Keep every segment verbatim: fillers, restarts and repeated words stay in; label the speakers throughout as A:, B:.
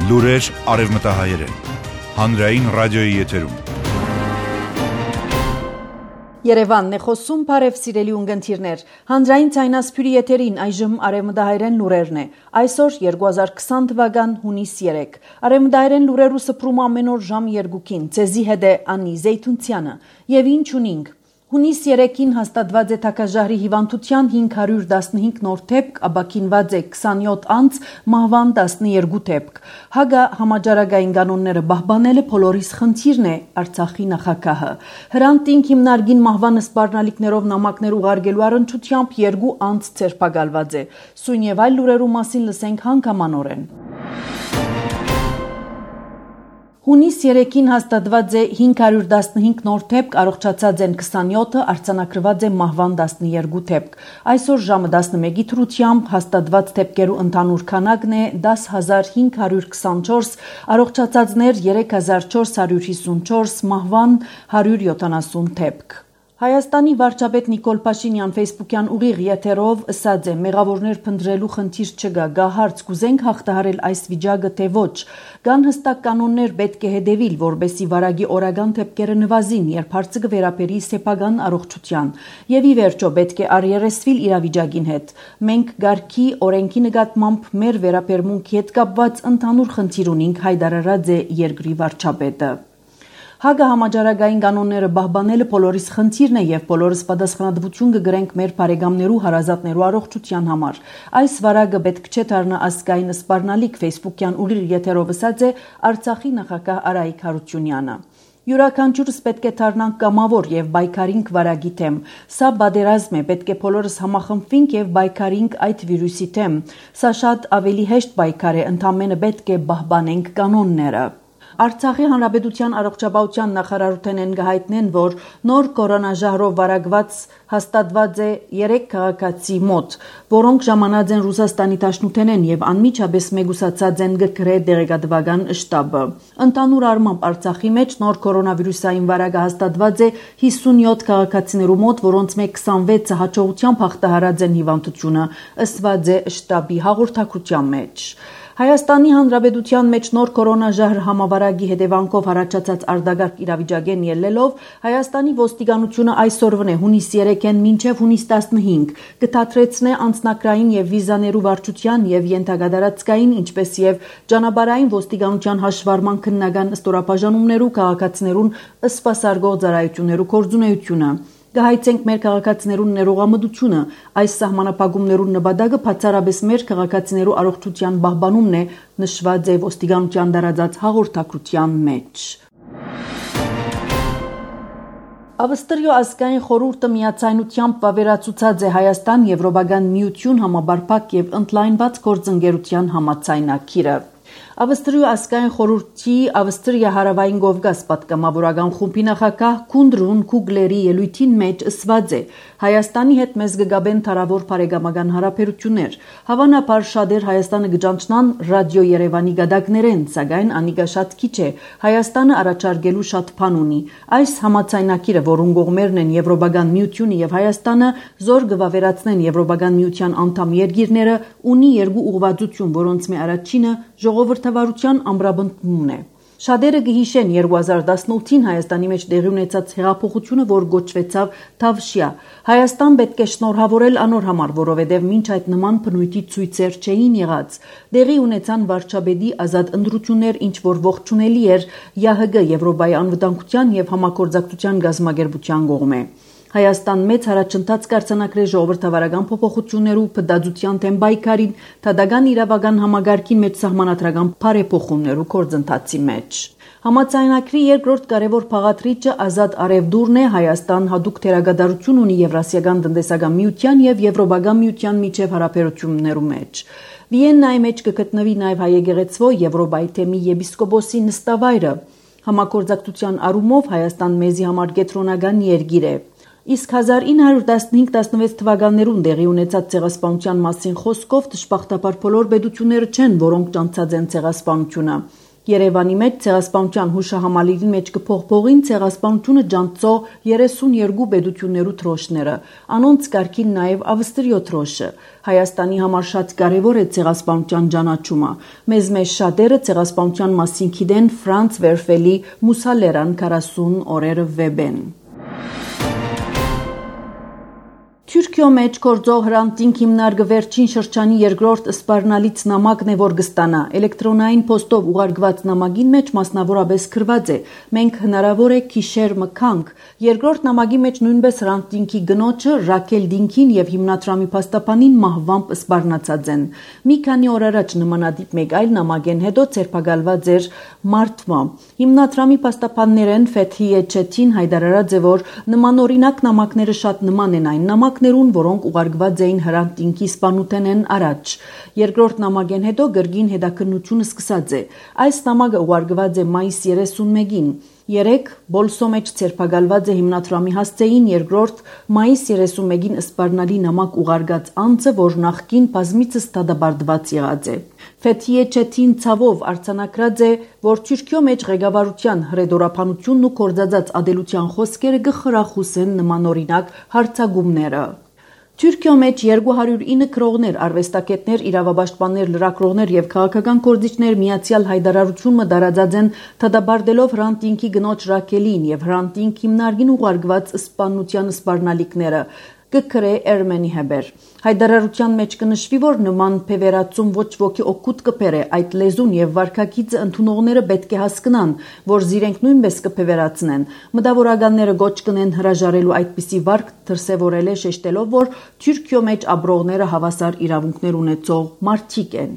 A: Լուրեր արևմտահայերեն։ Հանրային ռադիոյի եթերում։
B: Երևանն է խոսում, բարև սիրելի ունգընթիրներ։ Հանրային ցայնասփյուրի եթերին այժմ արևմտահայերեն լուրերն է։ Այսօր երկու հազար քսան թվական հունիս երեք։ Արևմտահայերեն լուրերու սփռում ամեն օր ժամ երկուքին։ Ցեզի հետ է Անի Զեյթունցյանը։ Եվ ինչ ունինք։ Հունիս երեքին հաստատված է թագաժահրի հիվանդության հինգ հարյուր տասնհինգ նոր դեպք, ապաքինված է քսանյոթ անձ, մահվան տասներկու դեպք։ Հագա համաճարակային կանոնները պահպանելը բոլորիս խնդիրն է, Արցախի նախագահը։ Հրանտինք հիմնարկին մահվան սպառնալիքներով նամակներ ուղարկելու առընչությամբ երկու անձ ցերպակալված է։ Սույն եւ այլ լուրերու մասին լսենք հանգամանորեն։ Հունիս երեքին հաստատված է հինգ հարյուր տասնհինգ նոր դեպք, առողջացած են քսանյոթը, արձանագրված է մահվան տասներկու դեպք։ Այսօր ժամը տասնմեկի թրությամբ հաստատված դեպքերու ընդհանուր քանակն է դաս հազար հինգ հարյուր քսանչորս, առողջացածներ երեք հազար չորս հարյուր հիսունչորս, մահվան հարյուր յոթանասուն դեպք։ Հայաստանի վարչապետ Նիկոլ Փաշինյան ֆեյսբուքյան ուղիղ եթերով ասաց է մեղավորներ փնտրելու խնդիր չկա, գա հարց կուզենք հաղթահարել այս վիճակը թե ոչ, կան հստակ կանոններ պետք է հետևիլ, որբեսի վարագի օրական դեպքերը նվազին, երբ հարցը կվերապերի սեփական առողջության, եւ ի վերջո պետք է առերեսվիլ իրավիճակին հետ։ Մենք գարքի օրենքի նկատմամբ մեր վերապերմունքի հետ կապված ընդհանուր խնդիր ունենք, հայտարարած է երկրի վարչապետը։ Հագա համաճարակային կանոնները պահպանելը բոլորիս խնդիրն է եւ բոլորս պատասխանատվություն կգրենք մեր բարեկամներու հարազատներու առողջության համար։ Այս վարակը պետք չէ դառնա ազգային սպառնալիք, ֆեյսբուքյան ուղիղ եթերով ասաց է Արցախի նախագահ Արայիկ Հարությունյանը։ Յուրաքանչյուրս պետք է դառնանք կամավոր եւ բայկարինք վարակի թեմ։ Սա բادرազմ է, պետք է բոլորս համախմբվենք եւ բայկարինք այդ վիրուսի թեմ։ Սա շատ ավելի հեշտ բայկար է, ընդամենը պետք է պահպանենք կանոնները։ Արցախի հանրապետության առողջապահության նախարարութենեն գահիտնեն, որ նոր կորոնաժահրով վարակված հաստատված է երեք քաղաքացի մոտ, որոնք ժամանած են Ռուսաստանի Դաշնութենեն եւ անմիջապես մեգուսացած են գրե դեղեկատվական շտաբը։ Ընդհանուր առմամբ Արցախի մեջ նոր կորոնավիրուսային վարակը հաստատված է հիսունյոթ քաղաքացիներու մոտ, որոնց մեկ քսանվեցը հաջողությամբ հաղթահարած են հիվանդությունը, ըսված է շտաբի հաղորդակցության մեջ։ Հայաստանի Հանրապետության մեջ նոր կորոնաժահր համավարակի հետևանքով առաջացած արտագաղթ իրավիճակեն ելնելով Հայաստանի ոստիկանությունը այսօրվն է հունիս երեքին մինչև հունիս տասնհինգ կթատրեցնե անձնակրային եւ վիզաներու վարչության եւ ենթակատարածքային ինչպես եւ ճանապարհային ոստիկանության հաշվառման քննական ստորաբաժանումներու քաղաքացիներուն սպասարկող ծառայություններու կորձունեությունը։ Գահիցենք մեր քաղաքացիներուն ներողամտությունը, այս սահմանափակումներուն նպատակը բացառապես մեր քաղաքացիներու առողջության պահպանումն է, նշված է ոստիկանության տարածած հաղորդակցության մեջ։ Ավստրիա ազգային խորհուրդը միացայնությամբ վավերացուցած է Հայաստան Եվրոպական միություն համապարփակ եւ ընդլայնված գործընկերության համաձայնագիրը։ Ավստրիա ազգային խորհրդի Ավստրիա հարավային Կովկաս պատգամավորական խումբի նախագահ Քունդրուն Քուգլերի ելույթին մեջ ասված է Հայաստանի հետ մեզ կգաբեն թարավոր բարեկամական հարաբերություններ։ Հավանաբար շատեր Հայաստանը կճանչնան ռադիո Երևանի գդակներեն, սակայն անիկա շատ քիչ է։ Հայաստանը առաջարկելու շատ բան ունի։ Այս համաձայնագիրը, որուն կողմերն են Եվրոպական միությունը եւ Հայաստանը, զոր կվավերացնեն Եվրոպական միության անդամ երկիրները, ունի երկու ուղղվածություն, որոնց մի առաջինը ժողովրդավարության ամրապնդումն է։ Շատերը կհիշեն երկու հազար տասնութին Հայաստանի մեջ տեղի ունեցած հեղափոխությունը, որ գոչվեցավ Թավշյա։ Հայաստան պետք է շնորհավորել անոր համար, որովհետև մինչ այդ նման բնույթի ցույցեր չէին եղած։ Տեղի ունեցան վարչապետի ազատ ընտրություններ, ինչ որ ողջունելի էր ԵԱՀԿ Եվրոպայի անվտանգության եւ համագործակցության գազམ་ագերբության կողմէ։ Հայաստան մեծ առաջընթաց կարձանակրել ժողովրդավարական փոփոխություններու փդածության թեմ բայկարին, թադական իրավական համագարկի մեջ սահմանադրական բարեփոխումներու գործընթացի մեջ։ Համաձայնագրի երկրորդ կարևոր փաղադրիչը ազատ արևդուրն է, Հայաստան հատուկ թերագադարություն ունի Եվրասիական տնտեսական միության եւ Եվրոպական միության միջև հարաբերություններու մեջ։ Վիեննայի մեջ կգտնվի նաեւ հայեկեղեցվո Եվրոպայի թեմի եպիսկոպոսի նստավայրը։ Համագործակցության առումով Հայաստան մեզի համար կենտրոնական երկիր է։ Իսկ հազար ինը հարյուր տասնհինգ տասնվեց թվականներուն տեղի ունեցած ցեղասպանության մասին խոսքով դժբախտաբար բոլոր պետությունները չեն, որոնք ճանաչած են ցեղասպանությունը։ Երևանի մեջ ցեղասպանության հուշահամալիրի մեջ կփողփողին ցեղասպանությունը ջանցող երեսունյոթ պետություններու թրոշները, անոնց կարգին նաև Ավստրիո թրոշը։ Հայաստանի համար շատ կարևոր է ցեղասպանության ճանաչումը։ Մեզ մեջ շատերը ցեղասպանության մասին գիտեն Ֆրանց Վերֆելի Մուսալերան քառասուն օրերը վեբեն։ Թուրքիո մեջ գործող հրանտինք հիմնարկը վերջին շրջանի երկրորդ սպառնալից նամակն է, որ կստանա։ Էլեկտրոնային փոստով ուղարկված նամակին մեջ մասնավորապես գրված է. «Մենք հնարավոր է քիշեր մքանք»։ Երկրորդ նամակի մեջ նույնպես հրանտինքի գնոջը Ռաքել Դինքին եւ հիմնադրամի փաստաբանին մահվամբ սպառնացած են։ Մի քանի օր առաջ նմանատիպ մեկ այլ նամակեն հետո ցերպակալված էր մարտմա։ Հիմնադրամի փաստաբաններեն Ֆեթհիե Չեթին հայտարարած է, որ նմանօրինակ նամակները շատ նման են այն նամակ որոնք ուղարկված էին հրանտինքի սպանութենեն առաջ։ Երկրորդ նամակեն հետո գրգին հետաքննությունը սկսած է։ Այս նամակը ուղարկված է մայիս երեսունմեկին։ Երեք բոլսո մեջ ցերպակալված է հիմնադրամի հասցեին երկրորդ մայիս երեսունմեկին սպառնալի նամակ ուղարկած անձը, որ նախկին բազմիցս դատապարտված եղած է։ Ֆեթհիե Չեթին ցավով արձանագրած է, որ Թուրքիո մեջ ղեկավարության հրեդորապանությունն ու կորձած ադելության խոսքերը կխրախուսեն նմանօրինակ հարձակումները։ Թուրքիո մեջ երկու հարյուր ինը քրողներ, արվեստագետներ, իրավապաշտպաններ, լրագրողներ եւ քաղաքական գործիչներ միացյալ հայտարարություն մտարածած են դատապարտելով հրանտինքի գնոջ Ռաքելին եւ հրանտինք հիմնարկին ուղարկված սպանության սպառնալիքները։ Կգրե Էրմենի հեբեր։ Հայտարարության մեջ կնշվի, որ նման փևերացում ոչ ոքի օգուտ կբերե, այդ լեզուն եւ վարքագիծը ընդունողները պետք է հասկանան, որ զիրենք նույնպես կփևերացնեն։ Մտավորականները գոչ կնեն հրաժարելու այդպիսի վարք դրսևորել է շեշտելով, որ Թուրքիո մեջ ապրողները հավասար իրավունքներ ունեցող մարդիկ են։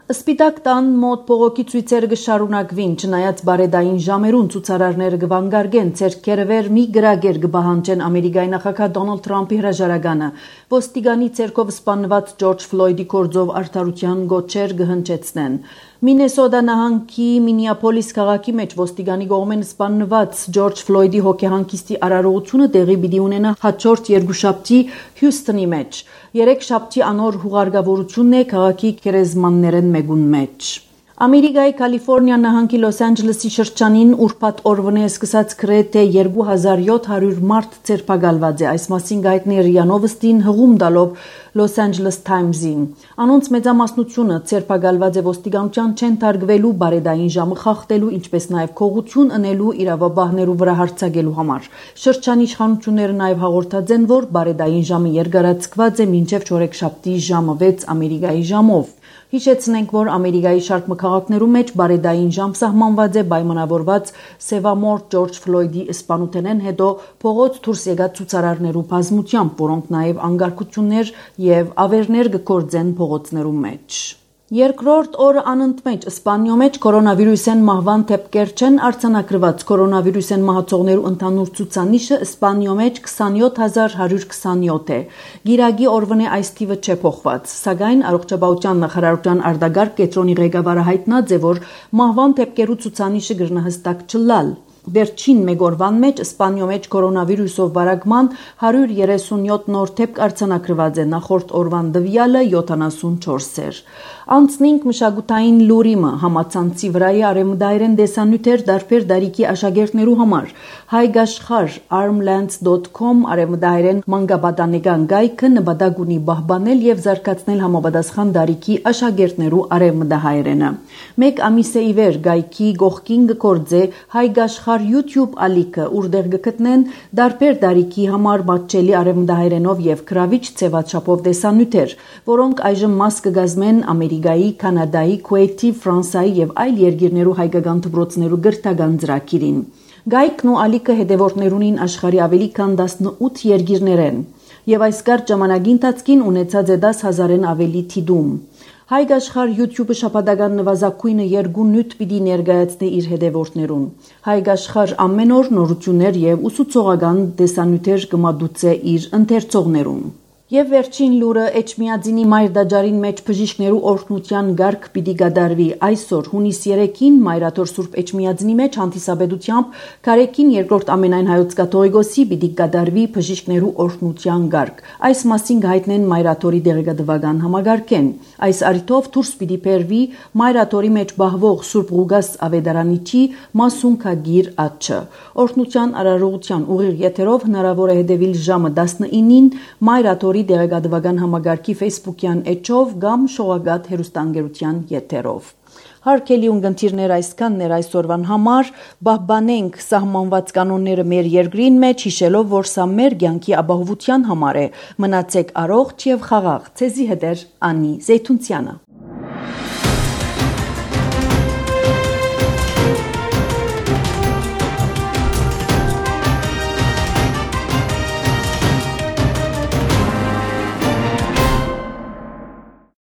B: Սպիտակ տան մոտ փողոքի ցույցերը կշարունակվին, չնայած բարեդային ժամերուն ցուցարարները կվանգարգեն ցերկերը վեր մի գրագեր կբահանջեն Ամերիկայի նախագահ Դոնալդ Թրամփի հրաժարականը։ Ոստիգանի ցերկով սպանված Ջորջ Ֆլոյդի կորձով արդարության գոչեր կհնչեցնեն։ Մինեսոտա նահանգի Մինիապոլիս քաղաքի մեջ ոստիգանի կողմեն սպանված Ջորջ Ֆլոյդի հոգեհանգիստի արարողությունը տեղի պիտի ունենա հաջորդ երկուշաբթի Հյուսթոնի մեջ։ Երեք շաբթի անոր հուղարկավորությունն է քաղաքի քերեզմաններեն մեկուն մեջ։ Ամերիկայի Կալիֆոռնիա նահանգի Լոս Անջելեսի շրջանին ուրբաթ օրվանե սկսած գրեթե երկու հազար յոթ հարյուր մարդ ցերպակալված է։ Այս մասին գայտնի ՌԻԱ Նովոստին հղում տալով Los Angeles Times-ին։ Անոնց մեծամասնությունը ցերպակալված է ոստիկանության չեն թարգվելու բարեդային ժամը խախտելու, ինչպես նաև քողություն ընելու իրավաբաններու վրա հարձակելու համար։ Շրջանի իշխանությունները նաև հաղորդած են, որ բարեդային ժամը երկարացված է մինչև չորեքշաբթի ժամը վեց Ամերիկայի ժամով։ Հիշեցնենք, որ Ամերիկայի շարք քաղաքներու մեջ բարեդային ժամ սահմանված է պայմանավորված Սևամորթ Ջորջ Ֆլոյդի սպանութենեն հետո փողոց դուրս եկած ցուցարարներու բազմությամբ, որոնք նաև անկարգություններ եւ ավերներ կգործեն փողոցներու մեջ։ Երկրորդ օրը անընդմեջ Իսպանիո մեջ կորոնավիրուսեն մահվան դեպքեր չեն արձանագրված։ Կորոնավիրուսեն մահացողներու ընդհանուր ցուցանիշը Իսպանիո մեջ քսանյոթ հազար հարյուր քսանյոթ է։ Գիրագի օրվանե այս թիվը չէ փոխված, սակայն առողջապահության նախարարության արտագարկ կենտրոնի ղեկավարը հայտնած է, որ մահվան դեպքերու ցուցանիշը գրնահստակ չլալ։ Վերջին մեկ օրվան մեջ Իսպանիո մեջ կորոնավիրուսով վարակման հարյուր երեսունյոթ նոր դեպք արձանագրված է, նախորդ օրվան տվյալը յոթանասունչորս էր։ Անցնինք մշակութային լուրիմը համացանցի վրայի արևմտայրեն դեսանյութեր դարբեր դարիքի աշակերտներու համար։ Հայգաշխար armlands dot com արևմտայրեն մանկապատանեկան գայքը նպատակ ունի պահպանել եւ զարգացնել համապատասխան դարիքի աշակերտներու արևմտահայերենը։ Մեկ ամիս է ի վեր գայքի գողքին գործե Հայգաշխար YouTube ալիքը, որտեղ կգտնեն դարբեր դարիքի համար մատչելի արևմտահայերենով եւ գրավիչ ցեվաչափով դեսանյութեր, որոնք այժմ մաս կգազմեն Ամերիկայի, Կանադայի, Քուեյթի, Ֆրանսիայի եւ այլ երկիրներու հայկական դպրոցներու գրթական ծրագիրին։ Գայքն ու ալիքը հետևորդներունին աշխարհի ավելի քան տասնութ երկիրներեն եւ այս կարճ ժամանակի ընթացքին ունեցած է դաս հազարեն ավելի թիդում։ Հայգաշխար YouTube-ը շաբաթական նվազագույնը երկու նյութ պիտի ներկայացնի իր հետևորդներուն։ Հայգաշխար ամեն օր նորություններ եւ ուսուցողական դեսանյութեր կմատուցե իր ընթերցողներուն։ Եվ վերջին լուրը Էջմիածինի Մայրդաջարին մեջ բժիշկներու օրհնության գարկ պիտի գդարվի այսօր հունիս երեքին Մայրաթոր Սուրբ Էջմիածինի մեջ հանդիսաբեդությամբ Կարեկին երկրորդ ամենայն հայոց կաթողիկոսի պիտի գդարվի բժիշկներու օրհնության գարկ։ Այս մասին հայտնեն Մայրաթորի դեղեկատվական համագարկեն։ Այս արիթով դուրս պիտի բերվի Մայրաթորի մեջ բահվող Սուրբ Ղուգաս Ավետարանիչի մասունքագիր ատչը։ Օրհնության արարողության ուղիղ եթերով հնարավոր է հետևել ժամը տասնինին Մայրաթորի դեղեկատվական համագարկի Facebook-յան էջով կամ շողակաթ հեռուստաընկերության եթերով։ Հարգելի ունկնդիրներ, այսքանն էր այսօրվան համար, պահպանենք սահմանված կանոնները մեր երկրին մեջ, հիշելով, որ սա մեր կյանքի ապահովության համար է։ Մնացեք առողջ եւ խաղաղ։ Ցեզի հետ է Անի Զեյթունցյանը։